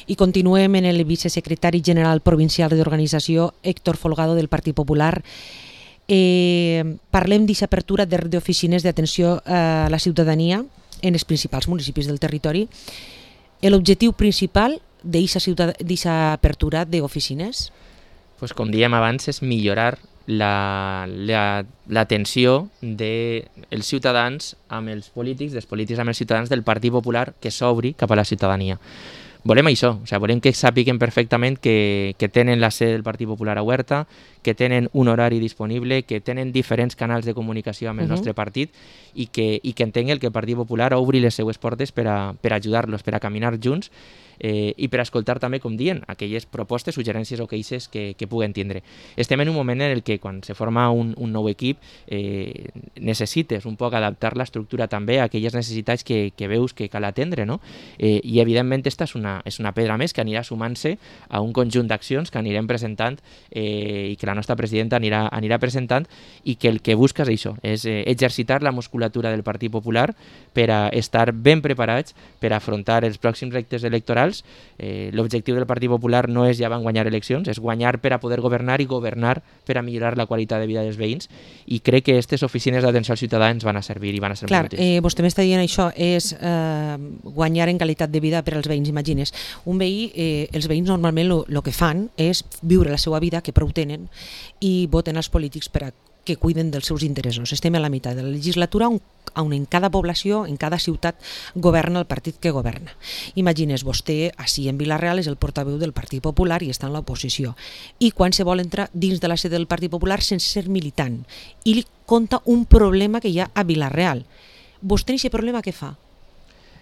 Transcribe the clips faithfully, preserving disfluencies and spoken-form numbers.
I continuem en el vicesecretari general provincial d'organització, Héctor Folgado, del Partit Popular. Eh, parlem d'aquesta apertura d'oficines d'atenció a la ciutadania en els principals municipis del territori. L'objectiu principal d'aquesta apertura d'oficines? Pues, com dèiem abans, és millorar l'atenció dels ciutadans amb els polítics, dels polítics amb els ciutadans del Partit Popular que s'obri cap a la ciutadania. Volem això, o sigui, volem que sàpiguen perfectament que, que tenen la sede del Partit Popular a Huerta, que tenen un horari disponible, que tenen diferents canals de comunicació amb el uh-huh. nostre partit i que, i que entenguen que el Partit Popular obri les seues portes per a, per ajudar-los, per a caminar junts eh, i per a escoltar també, com diuen, aquelles propostes, suggerències o queixes que, que puguen tindre. Estem en un moment en el que quan se forma un, un nou equip eh, necessites un poc adaptar l'estructura també a aquelles necessitats que, que veus que cal atendre, no? Eh, I evidentment esta és una, és una pedra més que anirà sumant-se a un conjunt d'accions que anirem presentant eh, i que la nostra presidenta anirà, anirà presentant i que el que busca és això, és eh, exercitar la musculatura del Partit Popular per a estar ben preparats per a afrontar els pròxims reptes electorals. Eh, l'objectiu del Partit Popular no és ja van guanyar eleccions, és guanyar per a poder governar i governar per a millorar la qualitat de vida dels veïns i crec que aquestes oficines d'atenció als ciutadans van a servir i van a ser Clar, molt útils. Eh, vostè m'està dient això, és eh, guanyar en qualitat de vida per als veïns, imagines. Un veí, eh, els veïns normalment el que fan és viure la seva vida, que prou tenen, i voten als polítics per a que cuiden dels seus interessos. Estem a la meitat de la legislatura on, on en cada població, en cada ciutat, governa el partit que governa. Imagines, vostè, així en Vila-real, és el portaveu del Partit Popular i està en l'oposició. I quan se vol entrar dins de la sede del Partit Popular sense ser militant, i li conta un problema que hi ha a Vila-real. Vostè, aquest problema, què fa?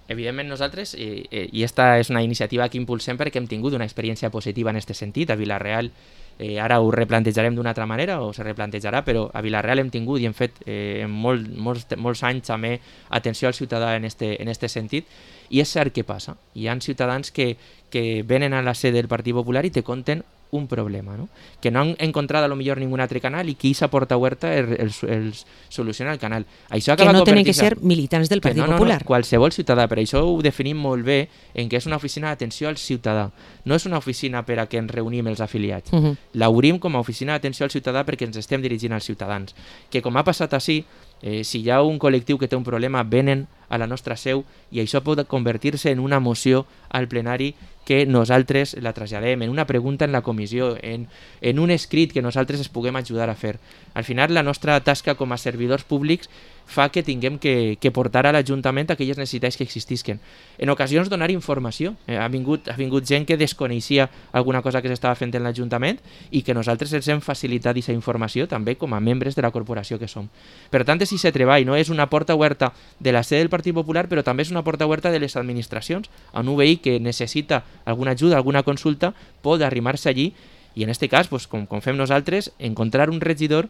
Evidentment nosaltres, i, i esta és una iniciativa que impulsem perquè hem tingut una experiència positiva en aquest sentit. A Vila-real eh, ara ho replantejarem d'una altra manera o se replantejarà, però a Vila-real hem tingut i hem fet eh, molt, molts, molts anys també atenció al ciutadà en este, en este sentit, i és cert què passa. Hi ha ciutadans que, que venen a la sede del Partit Popular i te conten un problema, ¿no? Que no han encontrado a lo millor ningún altre canal i qui s'aporta a Huerta el, el, el soluciona el canal. Això que no tenen que ser militants del Partit no, no, Popular. No, qualsevol ciutadà, per això ho definim molt bé en que és una oficina d'atenció al ciutadà. No és una oficina per a que ens reunim els afiliats. Uh -huh. L'obrim com a oficina d'atenció al ciutadà perquè ens estem dirigint als ciutadans. Que com ha passat així, eh, si hi ha un col·lectiu que té un problema, venen a la nostra seu i això pot convertir-se en una moció al plenari que nosaltres la traslladem, en una pregunta en la comissió, en, en un escrit que nosaltres es puguem ajudar a fer. Al final, la nostra tasca com a servidors públics fa que tinguem que, que portar a l'Ajuntament aquelles necessitats que existisquen. En ocasions donar informació. Eh, ha, vingut, ha vingut gent que desconeixia alguna cosa que s'estava fent en l'Ajuntament i que nosaltres els hem facilitat aquesta informació també com a membres de la corporació que som. Per tant, és aquest treball, no? És una porta oberta de la sede del Partit Popular, però també és una porta oberta de les administracions. On un veí que necessita alguna ajuda, alguna consulta, pot arrimar-se allí i en aquest cas, pues, com, com fem nosaltres, encontrar un regidor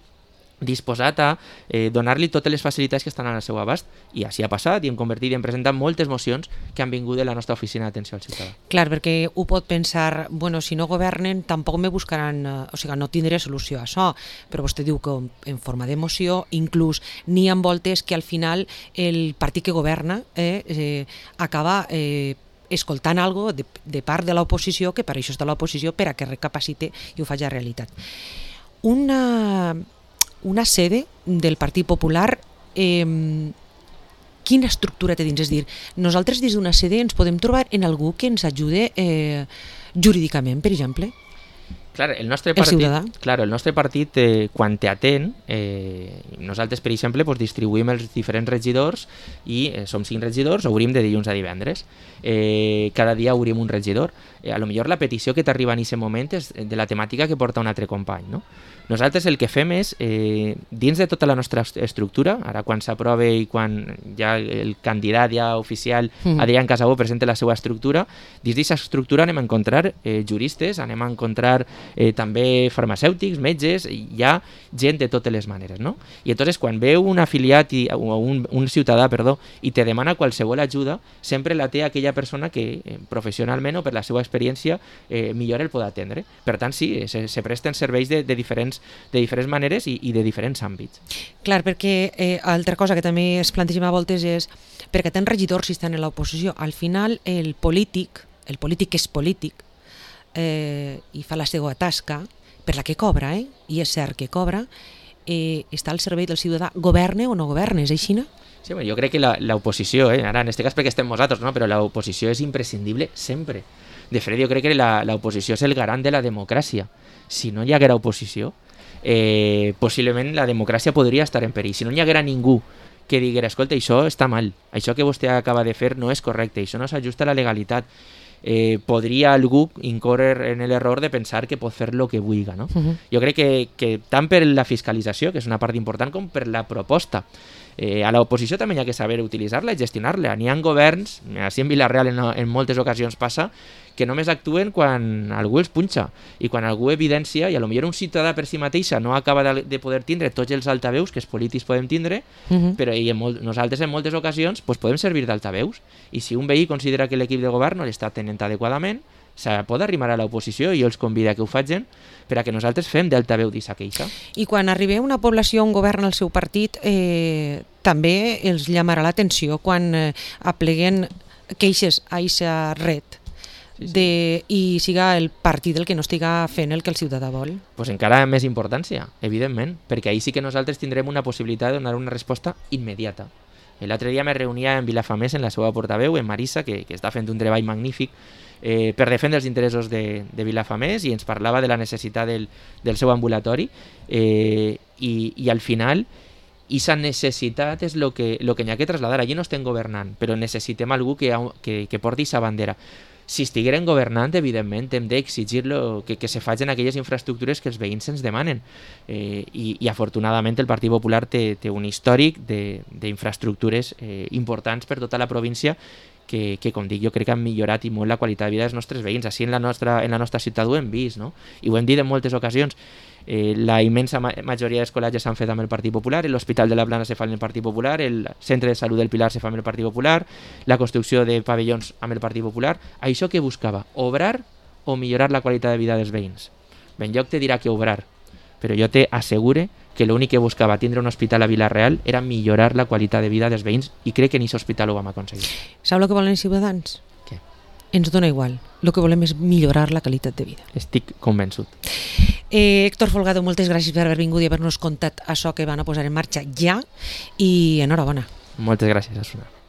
disposat a eh, donar-li totes les facilitats que estan al seu abast. I així ha passat i hem convertit i hem presentat moltes mocions que han vingut de la nostra oficina d'atenció al ciutadà. Clar, perquè ho pot pensar, bueno, si no governen tampoc me buscaran, eh, o sigui, no tindré solució a això, però vostè diu que en forma de moció, inclús n'hi ha voltes que al final el partit que governa eh, eh, acaba eh, escoltant algo de, de part de l'oposició, que per això està l'oposició, per a que recapacite i ho faci a realitat. Una... una sede del Partit Popular, eh, quina estructura té dins? És dir, nosaltres des d'una sede ens podem trobar en algú que ens ajude eh, jurídicament, per exemple? Clar, el nostre partit, el clar, el nostre partit eh, quan t'atén, eh, nosaltres, per exemple, pues, distribuïm els diferents regidors i eh, som cinc regidors, obrim de dilluns a divendres. Eh, cada dia obrim un regidor. Eh, a lo millor la petició que t'arriba en aquest moment és de la temàtica que porta un altre company, no? Nosaltres el que fem és, eh, dins de tota la nostra estructura, ara quan s'aprove i quan ja el candidat ja oficial, mm. Adrián Casabó, presenta la seva estructura, dins d'aquesta estructura anem a encontrar eh, juristes, anem a encontrar eh, també farmacèutics, metges, hi ha gent de totes les maneres, no? I llavors quan veu un afiliat i, o un, un ciutadà, perdó, i te demana qualsevol ajuda, sempre la té aquella persona que eh, professionalment o per la seva experiència eh, millor el pot atendre. Per tant, sí, se, se presten serveis de, de diferents de diferents maneres i, i de diferents àmbits. Clar, perquè eh, altra cosa que també es plantegem a voltes és perquè tenen regidors si estan en l'oposició. Al final el polític el polític és polític eh, i fa la seva tasca, per la que cobra, eh? I és cert que cobra, eh, està al servei del ciutadà, governe o no governe, és així, no? Sí, bueno, jo crec que l'oposició, eh, ara en aquest cas perquè estem nosaltres, no? Però l'oposició és imprescindible sempre. De fet, jo crec que l'oposició és el garant de la democràcia. Si no hi haguera oposició, eh, possiblement la democràcia podria estar en perill. Si no hi haguera ningú que diguera, escolta, això està mal, això que vostè acaba de fer no és correcte, això no s'ajusta a la legalitat, eh, podria algú incórrer en l'error de pensar que pot fer el que vulgui, no? Uh-huh. Jo crec que, que tant per la fiscalització, que és una part important, com per la proposta. Eh, a l'oposició també hi ha que saber utilitzar-la i gestionar-la. N'hi ha governs, així en Vila-real en, en moltes ocasions passa, que només actuen quan algú els punxa i quan algú evidencia, i a lo millor un ciutadà per si mateixa no acaba de, de poder tindre tots els altaveus que els polítics podem tindre, uh-huh. però i en molt, nosaltres en moltes ocasions pues, podem servir d'altaveus, i si un veí considera que l'equip de govern no l'està tenint adequadament, se pot arrimar a l'oposició i jo els convido a que ho facin per a que nosaltres fem d'altaveu d'aquesta queixa. I quan arribi una població on governa el seu partit, eh, també els llamarà l'atenció quan eh, apleguen queixes a aquesta red de, i siga el partit el que no estiga fent el que el ciutadà vol. Pues encara més importància, evidentment, perquè ahir sí que nosaltres tindrem una possibilitat de donar una resposta immediata. L'altre dia me reunia en Vilafamés, en la seva portaveu, en Marisa, que, que està fent un treball magnífic eh, per defendre els interessos de, de Vilafamés, i ens parlava de la necessitat del, del seu ambulatori, eh, i, i al final aquesta necessitat és el que, lo que hi ha que traslladar. Allí no estem governant, però necessitem algú que, que, que porti aquesta bandera. Si estigueren governant, evidentment, hem d'exigir-lo que, que se facin aquelles infraestructures que els veïns ens demanen. Eh, i, I afortunadament el Partit Popular té, té un històric d'infraestructures eh, importants per tota la província que, que, com dic, jo crec que han millorat i molt la qualitat de vida dels nostres veïns. Així en la nostra, en la nostra ciutat ho hem vist, no? I ho hem dit en moltes ocasions. Eh, la immensa ma majoria d'escolatges s'han fet amb el Partit Popular, l'Hospital de la Plana se fa amb el Partit Popular, el Centre de Salut del Pilar se fa amb el Partit Popular, la construcció de pavellons amb el Partit Popular. Això què buscava? Obrar o millorar la qualitat de vida dels veïns? Ben lloc te dirà que obrar, però jo te assegure que l'únic que buscava tindre un hospital a Vila-real era millorar la qualitat de vida dels veïns, i crec que en aquest hospital ho vam aconseguir. Sabeu el que volen els ciutadans? Què? Ens dona igual. El que volem és millorar la qualitat de vida. Estic convençut. Eh, Héctor Folgado, moltes gràcies per haver vingut i haver-nos contat això que van a posar en marxa ja, i enhorabona. Moltes gràcies, Asuna.